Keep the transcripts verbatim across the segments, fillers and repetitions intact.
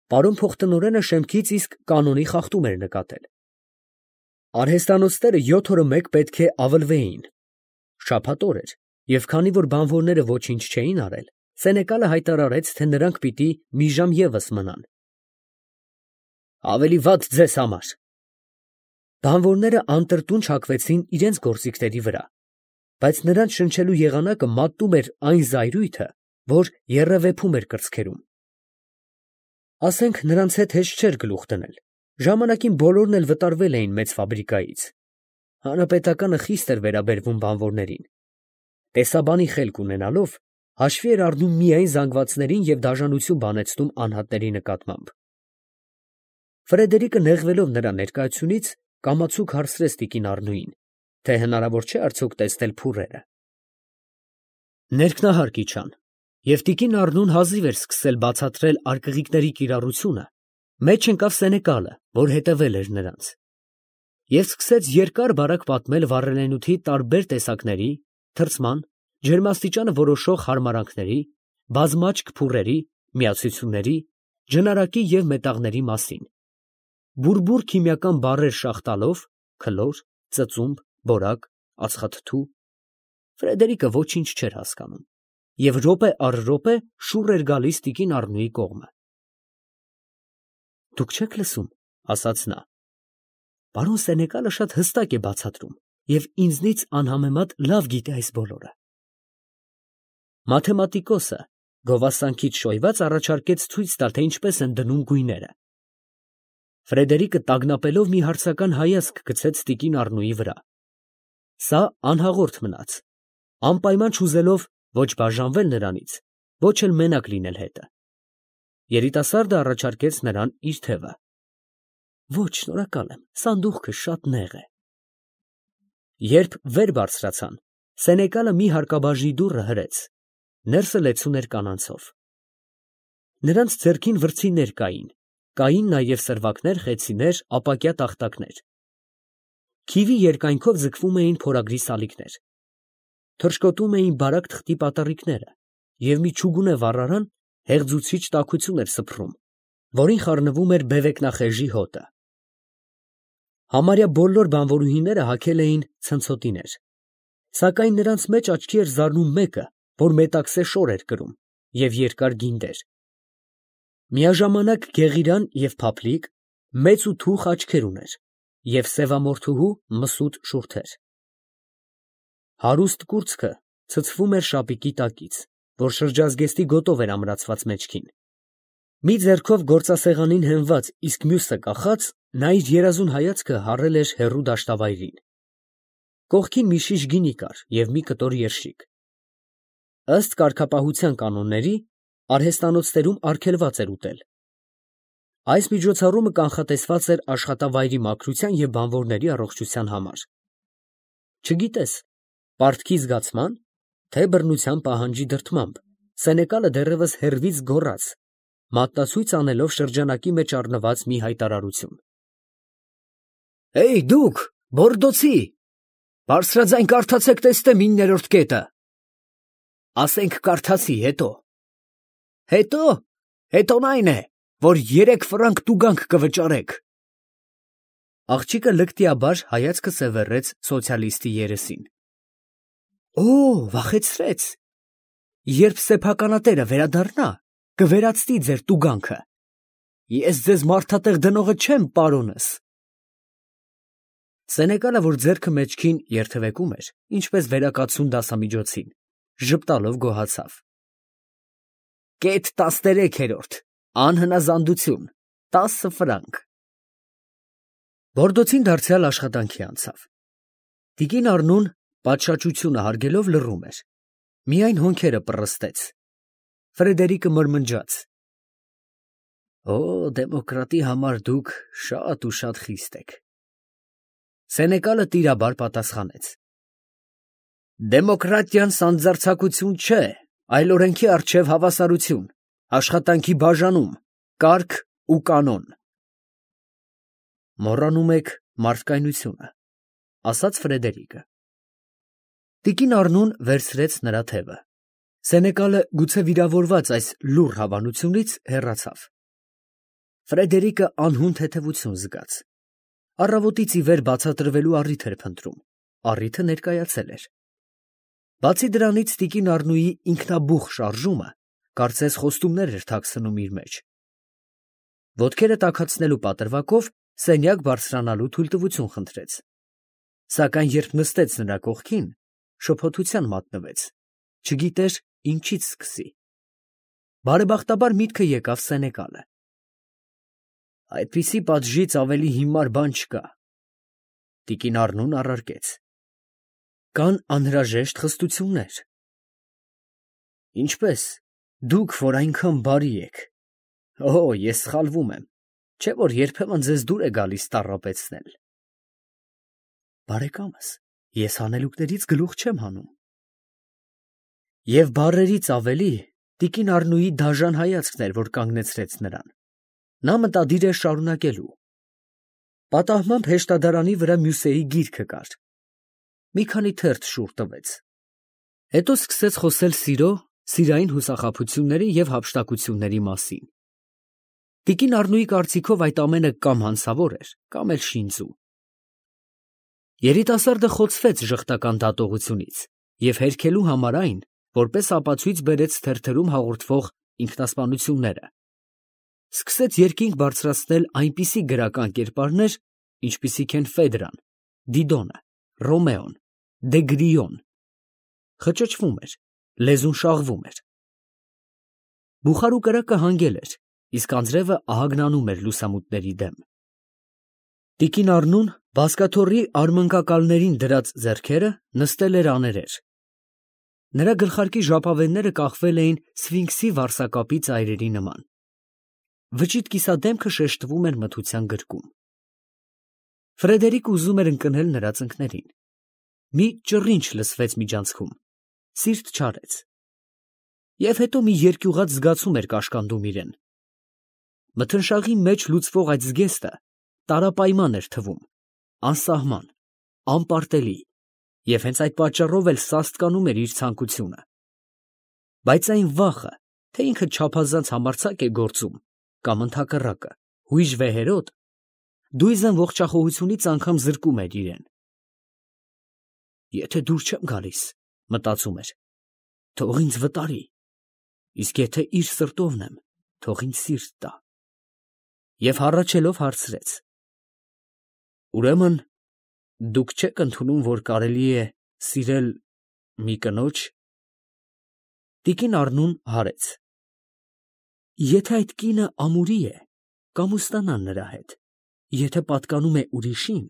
Պարոն փոխտնօրենը շեմքից իսկ կանոնի խախտում էր նկատել։ Արհեստատնոցները յոթ օրը մեկ պետք է ավլվեին. շաբաթ օր էր, և քանի որ բանվորները ոչինչ չէին արել, սենեկալը հայտարարեց, թե նրանք պիտի մի ժամ ևս մնան։ Ավելի վատ ձեզ համար։ Բանվորները անտրտուն չակվեցին իրենց գործիքների վրա, բայց նրանց շնչելու եղանակը մատնում էր այն զայրույթը, որ եռևեփում էր կրծքերում։ Ասենք նրանց հետ հեշտ չէր գլուխ դնել, ժամանակին բոլորն էլ վտարվել էին մեծ ֆաբրիկայից։ Հանրապետականը խիստ էր վերաբերվում բանվորներին։ Տեսաբանի խելք ունենալով, հաշվի էր առնում միայն զանգվածներին և դաժանություն բանեցնում անհատների նկատմամբ։ Ֆրեդերիկը նեղվելով նրա ներկայությունից, կամացուկ հարցրեց տիկին Առնուին, թե հնարավոր չէ արդյոք տեսնել փուռերը։ Ներքնահարկ իջան, և տիկին Առնուն հազիվ էր սկսել բացատրել արկղիկների կիրառությունը, մեջ ընկավ Սենեկալը, որ հետևել էր նրանց, և սկսեց երկար֊բարակ պատմել վառելենութի տարբեր տեսակների, թրծման, ջերմաստիճանը որոշող հարմարանքների, բազմաճք փուռերի, միացությունների, ջնարակի և մետաղների մասին, բուրբուր քիմիական բառեր շաղ տալով, քլոր, ծծումբ, բորակ, ածխաթթու։ Ֆրեդերիկը ոչինչ չէր հասկանում և րոպե առ րոպե շուռ էր գալիս տիկին Առնուի կողմը։ Դուք չե՞ք լսում, ասաց նա. պարոն Սենեկալը շատ հստակ է բացատրում և ինձնից անհամեմատ լավ գիտե այս բոլորը։ Մաթեմատիկոսը գովասանքից շոյված առաջարկեց ցույց տալ, թե ինչպես են դնում գույները։ Ֆրեդերիկը տագնապելով մի հարցական հայացք գցեց տիկին Առնուի վրա։ Սա անհաղորդ մնաց, անպայման չուզելով ոչ բաժանվել նրանից, ոչ էլ մենակ լինել հետը։ Երիտասարդը առաջարկեց նրան իր թևը։ Ոչ, շնորհակալ եմ, սանդուղքը շատ նեղ է։ Երբ վեր բարձրացան, Սենեկալը մի հարկաբաժի դուռը հրեց, ներսը լեցուն էր կանանցով։ Նրանց ձեռքին վրձիններ կային, կային նաև սրվակներ, խեցիներ, ապակյա տախտակներ։ Քիվի երկայնքով ձգվում էին փորագրի սալիկներ։ Թռչկոտում էին բարակ թղթի պատառիկները, և մի չուգունե վառարան հեղձուցիչ տաքություն էր սփռում, որին խառնվում էր բևեկնախեժի հոտը։ Համարյա բոլոր բանվորուհիները հագել էին ցնցոտիներ, սակայն նրանց մեջ աչքի էր զարնում մեկը, որ մետաքսե շոր էր կրում և երկար գինդեր։ Միաժամանակ գեղիրան և փափլիկ, մեծ ու թուխ աչքեր ուներ և սևամորթուհու մսուտ շուրթեր։ Հարուստ կուրծքը ցցվում էր շապիկի տակից, որ շրջազգեստի գոտով էր ամրացված մեջքին։ Մի ձեռքով գործասեղանին հենված, իսկ մյուսը կախած, նա իր երազուն հայացքը հառել էր հեռու դաշտավայրին։ Կողքին մի շիշ գինի կար և մի կտոր երշիկ։ Ըստ կարգապահության կանոնների, արհեստանոցներում արգելված էր ուտել։ Այս միջոցառումը կանխատեսված էր աշխատավայրի մաքրության և բանվորների առողջության համար։ Չգիտես, պարտքի զգացմա՞ն, թե բռնության պահանջի դրդմամբ, Սենեկալը դեռևս հեռվից գոռաց, մատնացույց անելով շրջանակի մեջ առնված մի հայտարարություն. Հեյ, դուք, Բորդոցի, բարձրաձայն կարդացեք, տեսնեմ իններորդ կետը։ Ասենք կարդացի, հետո։ Հետո, հետոն այն է, որ երեք ֆրանկ տուգանք կվճարեք։ Աղջիկը լկտիաբար հայացքը սևեռեց սոցիալիստի երեսին։ Օ, վախեցրեց։ Երբ սեփականատերը վերադառնա, կվերացնի ձեր տուգանքը։ Ես ձեզ մարդատեղ դնողը չեմ, պարոնս։ Սենեկալը, որ ձեռքը մեջքին երթևեկում էր, ինչպես վերակացուն դասամիջոցին, ժպտալով գոհացավ։ Կետ տասներեքերորդ, անհնազանդություն, տասը ֆրանկ։ Բորդոցին դարձյալ աշխատանքի անցավ։ Տիկին Առնուն պատշաճությունը հարգելով լռում էր, միայն հոնքերը պռստեց։ Ֆրեդերիկը մրմնջաց. Օ, դեմոկրատի համար դուք շատ ու շատ խիստ եք։ Սենեկալը տիրաբար պատասխանեց. Դեմոկրատիան սանձարձակություն չէ, այլ օրենքի առջև հավասարություն, աշխատանքի բաժանում, կարգ ու կանոն։ Մոռանում եք մարդկայնությունը, ասաց Ֆրեդերիկը։ Տիկին Առնուն վերցրեց նրա թևը։ Սենեկալը, գուցե վիրավորված այս լուռ հավանությունից, հեռացավ։ Ֆրեդերիկը անհուն թեթևություն զգաց։ Առավոտից ի վեր բացատրվելու առիթ էր փնտրում, առիթը ներկայացել էր։ Բացի դրանից տիկին Առնուի ինքնաբուխ շարժումը կարծես խոստումներ էր թաքցնում իր մեջ։ Ոտքերը տաքացնելու պատրվակով սենյակ բարձրանալու թույլտվություն խնդրեց, սակայն երբ նստեց նրա կողքին, շփոթության մատնվեց, չգիտեր ինչից սկսի։ Բարեբախտաբար միտքը եկավ Սենեկալը։ Այդպիսի պատժից ավելի հիմար բան չկա, տիկին Առնուն առարկեց։ Կան անհրաժեշտ խստություններ։ Ինչպես, դուք, որ այնքան բարի եք։ Օ, ես սխալվում եմ, չէ՞ որ երբեմն ձեզ դուր է գալիս տառապեցնել։ Բարեկամս, ես հանելուկներից գլուխ չեմ հանում։ Եվ բառերից ավելի տիկին Առնուի դաժան հայացքն էր, որ կանգնեցրեց նրան։ Նա մտադիր էր շարունակելու։ Պատահմամբ հեշտադարանի վրա Մյուսեի գիրքը կար։ Մի քանի թերթ շուռ տվեց։ Հետո սկսեց խոսել սիրո, սիրային հուսախաբությունների և հափշտակությունների մասին։ Տիկին Առնուի կարծիքով այդ ամենը կամ հանցավոր էր, կամ էլ շինծու։ Երիտասարդը խոցվեց ժխտական դատողությունից և հերքելու համար այն, որպես ապացույց բերեց թերթերում հաղորդվող ինքնասպանությունները։ Սկսեց երկինք բարձրացնել այնպիսի գրական կերպարներ, ինչպիսիք են Ֆեդրան, Դիդոնը, Ռոմեոն, Դեգրիոն։ Խճճվում էր, լեզուն շաղվում էր։ Բուխարու կրակը հանգել էր, իսկ անձրևը ահագնանում էր լուսամուտների դեմ։ Տիկին Առնուն բազկաթոռի արմնկակալներին դրած ձեռքերը նստել էր աներեր։ Նրա գլխարկի ժապավենները կախվել էին սֆինքսի վարսակապի ծայրերի նման։ Վճիտ կիսադեմքը շեշտվում էր մթության գրկում։ Ֆրեդերիկը ուզում էր ընկնել նրա ծնկներին։ Մի ճռինչ լսվեց միջանցքում, սիրտ չարեց։ Եվ հետո մի երկյուղած զգացում էր կաշկանդում իրեն։ Մթնշաղի մեջ լուծվող այդ զգեստը տարապայման էր թվում, անսահման, անպարտելի, և հենց այդ պատճառով էլ սաստկանում էր իր ցանկությունը։ Բայց այն վախը, թե ինքը չափազանց համարձակ է գործում, կամ ընդհակառակը, հույժ վեհերոտ, դույզն ողջախոհությունից անգամ զրկում էր իրեն։ Եթե դուր չեմ գալիս, մտածում էր, թող ինձ վտարի, իսկ եթե իր սրտովն եմ, թող ինձ սիրտ տա։ Եվ հառաչելով հարցրեց. Ուրեմն դուք չեք ընդունում, որ կարելի է սիրել մի կնոջ։ Տիկին Առնուն հարեց. Եթե այդ կինը ամուրի է, կամուստանան նրա հետ, եթե պատկանում է ուրիշին,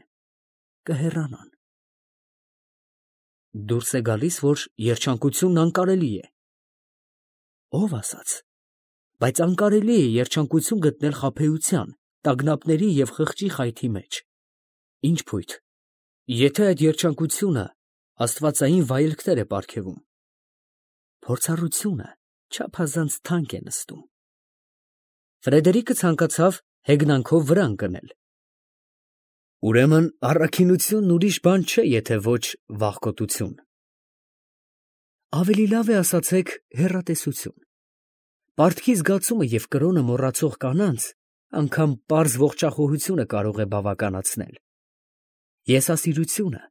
կհեռանան։ Դուրս է գալիս, որ երջանկությունն անկարելի է։ Ով ասաց, բայց անկարելի է երջանկություն գտնել խաբեության, տագնապների և խղճի խայթի մեջ։ Ինչ փույթ, եթե այդ երջանկությունը աստվածային վայելքներ է պարգևում։ Փորձառությունը չափազանց թանկ է նստում։ Ֆրեդերիկը ցանկացավ հեգնանքով վրա ընկնել։ Ուրեմն առաքինությունն ուրիշ բան չէ, եթե ոչ վախկոտություն։ Ավելի լավ է ասացեք հեռատեսություն։ Պարտքի զգացումը և կրոնը մոռացող կանանց անգամ պարզ ողջախոհությունը կարող է բավականացնել։ Եսասիրությունը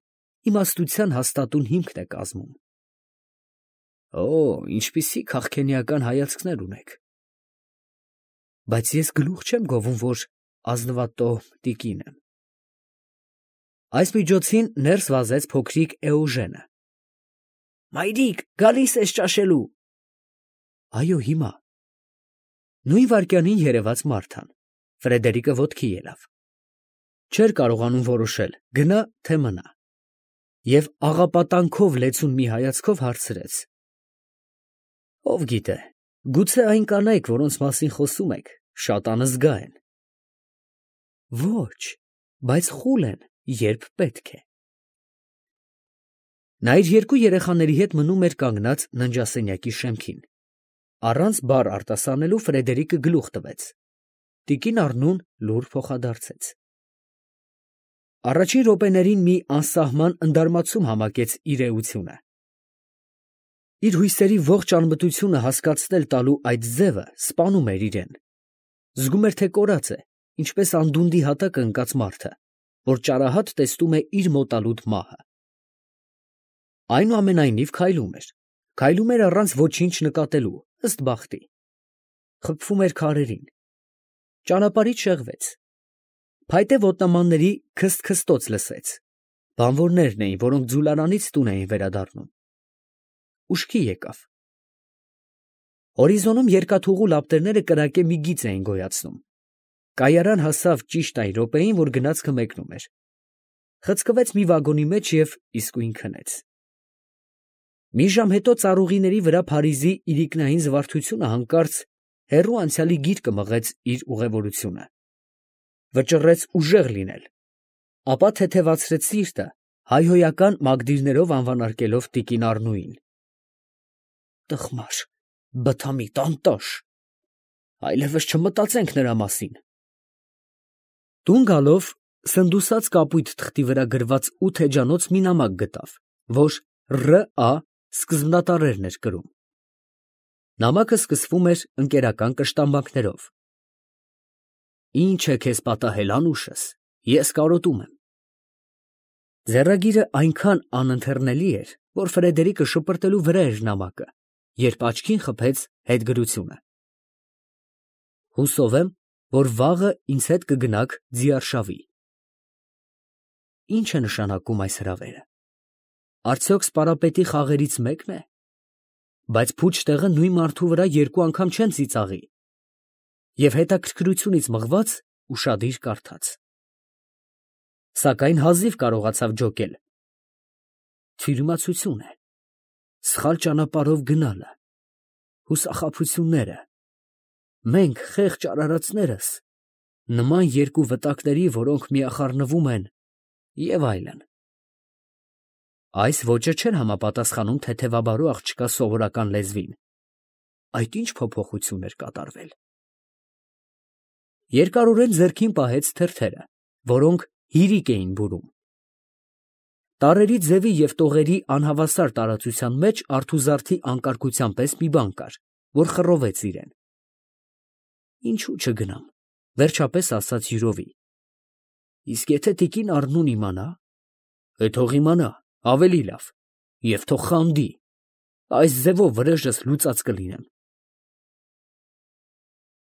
իմաստության հաստատուն հիմքն է կազմում։ Օ, ինչպիսի քաղքենիական հայացքներ ունեք։ Բայց ես գլուխ չեմ գովում, որ ազնվատոհ տիկին եմ։ Այս միջոցին ներս վազեց փոքրիկ Էոժենը։ Մայրիկ, գալիս ես ճաշելու։ Այո, հիմա։ Նույն վայրկյանին երևաց Մարթան։ Ֆրեդերիկը ոտքի ելավ։ Չէր կարողանում որոշել, գնա թե մնա։ Եվ աղապատանքով լեցուն մի հայացքով հարցրեց. Ով գիտե, գուցե այն կանայք, որոնց մասին խոսում եք, շատ անզգա են։ Ոչ, բայց խուլ են, երբ պետք է։ Նա իր երկու երեխաների հետ մնում էր կանգնած ննջասենյակի շեմքին։ Առանց բառ արտասանելու Ֆրեդերիկը գլուխ տվեց։ Տիկին Առնուն լուր փոխադարձեց։ Առաջին րոպեներին մի անսահման ընդարմացում համակեց իր էությունը։ Իր հույսերի ողջ անմտությունը հասկացնել տալու այդ ձևը սպանում էր իրեն։ Զգում էր, թե կորած է, ինչպես անդունդի հատակը ընկած մարդը, որ ճարահատ տեսնում է իր մոտալուտ մահը։ Այնուամենայնիվ քայլում էր, քայլում էր առանց ոչինչ նկատելու, ըստ բախտի։ Խփվում էր քարերին։ Ճանապարհից շեղվեց։ Փայտե ոտնամանների քսթ-քստոց լսեց։ Բանվորներն էին, որոնք ձուլարանից տուն էին վերադառնում։ Ուշքի եկավ։ Հորիզոնում երկաթուղու լապտերները կրակե մի գիծ էին գոյացնում։ Կայարան հասավ ճիշտ այն րոպեին, որ գնացքը մեկնում էր։ Խցկվեց մի վագոնի մեջ և իսկույն քնեց։ Մի ժամ հետո ծառուղիների վրա Փարիզի իրիկնային զվարթությունը հանկարծ հեռու անցյալի գիրկը մղեց իր ուղևորությունը։ Վճռեց ուժեղ լինել, ապա թեթևացրեց սիրտը, հայհոյական մագդիրներով անվանարկելով տիկին Առնուին։ Տխմար, բթամիտ, անտաշ, այլևս չմտածենք նրա մասին։ Տուն գալով սնդուսած կապույտ թղթի վրա գրված ութ էջանոց մի նամակ գտավ, որ Ռ.Ա. սկզբնատառերն էր կրում։ Նամակը սկսվում էր ընկերական կշտամբանքներով. Ինչ է քեզ պատահել, անուշս, ես կարոտում եմ։ Ձեռագիրը այնքան անընթեռնելի էր, որ Ֆրեդերիկը շպրտելու վրա էր նամակը, երբ աչքին խփեց հետգրությունը. Հուսով եմ, որ վաղը ինձ հետ կգնաք Ձիարշավի։ Ինչ է նշանակում այս հրավերը։ Արդյոք սպարապետի խաղերից մեկն է։ Բայց փուչ տեղը նույն մարդու վրա երկու անգամ չեն ծիծաղի։ Եվ հետաքրքրությունից մղված ուշադիր կարդաց։ Սակայն հազիվ կարողացավ ջոկել։ Թյուրիմացություն է, սխալ ճանապարհով գնալը, հուսախաբությունները, մենք խեղճ արարածներս, նման երկու վտակների, որոնք միախառնվում են, և այլն։ Այս ոճը չէր համապատասխանում թեթևաբարու աղջկա սովորական լեզվին։ Այդ ինչ փոփոխություն էր կատարվել։ Երկարորեն ձեռքին պահեց թերթերը, որոնք հիրիկ էին բուրում։ Տառերի ձևի և տողերի անհավասար տարածության մեջ արթուզարդի անկարգության պես մի բան կար, որ խռովեց իրեն։ Ինչու չգնամ, վերջապես ասաց յուրովի։ Իսկ եթե տիկին Առնուն իմանա, է թող իմանա, ավելի լավ, և թող խանդի, այս ձևով վրեժս լուծած կլինեմ։